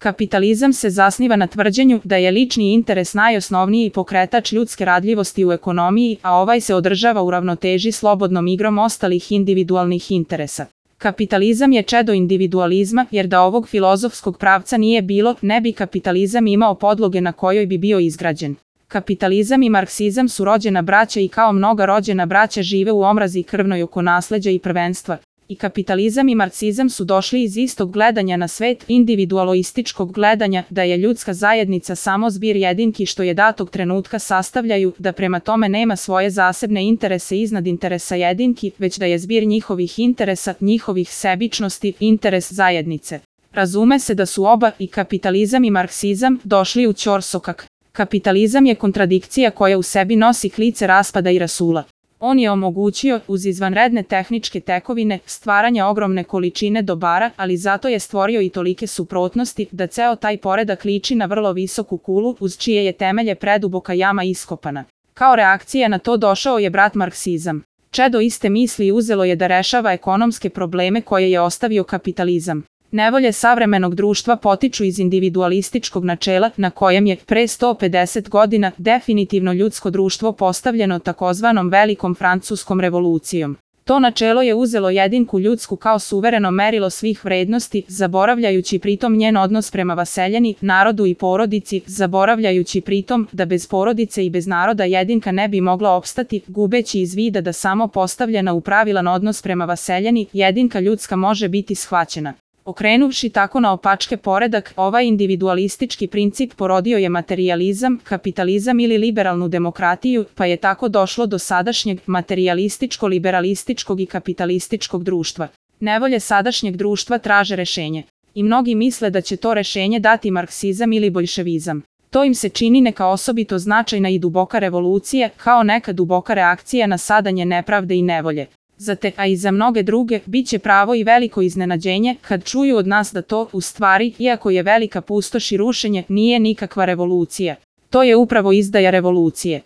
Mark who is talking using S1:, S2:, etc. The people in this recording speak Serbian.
S1: Kapitalizam se zasniva na tvrđenju da je lični interes najosnovniji pokretač ljudske radljivosti u ekonomiji, a ovaj se održava u ravnoteži slobodnom igrom ostalih individualnih interesa. Kapitalizam je čedo individualizma, jer da ovog filozofskog pravca nije bilo, ne bi kapitalizam imao podloge na kojoj bi bio izgrađen. Kapitalizam i marksizam su rođena braća i kao mnoga rođena braća žive u omrazi krvnoj oko nasleđa i prvenstva. I kapitalizam i marksizam su došli iz istog gledanja na svet, individualističkog gledanja, da je ljudska zajednica samo zbir jedinki što je datog trenutka sastavljaju, da prema tome nema svoje zasebne interese iznad interesa jedinki, već da je zbir njihovih interesa, njihovih sebičnosti, interes zajednice. Razume se da su oba, i kapitalizam i marksizam, došli u ćorsokak. Kapitalizam je kontradikcija koja u sebi nosi klice raspada i rasula. On je omogućio, uz izvanredne tehničke tekovine, stvaranje ogromne količine dobara, ali zato je stvorio i tolike suprotnosti, da ceo taj poredak liči na vrlo visoku kulu, uz čije je temelje preduboka jama iskopana. Kao reakcija na to došao je brat marksizam. Čedo iste misli uzelo je da rešava ekonomske probleme koje je ostavio kapitalizam. Nevolje savremenog društva potiču iz individualističkog načela, na kojem je, pre 150 godina, definitivno ljudsko društvo postavljeno takozvanom Velikom francuskom revolucijom. To načelo je uzelo jedinku ljudsku kao suvereno merilo svih vrednosti, zaboravljajući pritom njen odnos prema vaseljeni, narodu i porodici, zaboravljajući pritom da bez porodice i bez naroda jedinka ne bi mogla opstati, gubeći iz vida da samo postavljena u pravilan odnos prema vaseljeni, jedinka ljudska može biti shvaćena. Okrenuvši tako na opačke poredak, ovaj individualistički princip porodio je materijalizam, kapitalizam ili liberalnu demokratiju, pa je tako došlo do sadašnjeg materijalističko-liberalističkog i kapitalističkog društva. Nevolje sadašnjeg društva traže rešenje. I mnogi misle da će to rešenje dati marksizam ili boljševizam. To im se čini neka osobito značajna i duboka revolucija, kao neka duboka reakcija na sadanje nepravde i nevolje. Za te, a i za mnoge druge, bit će pravo i veliko iznenađenje kad čuju od nas da to, u stvari, iako je velika pustoš i rušenje, nije nikakva revolucija. To je upravo izdaja revolucije.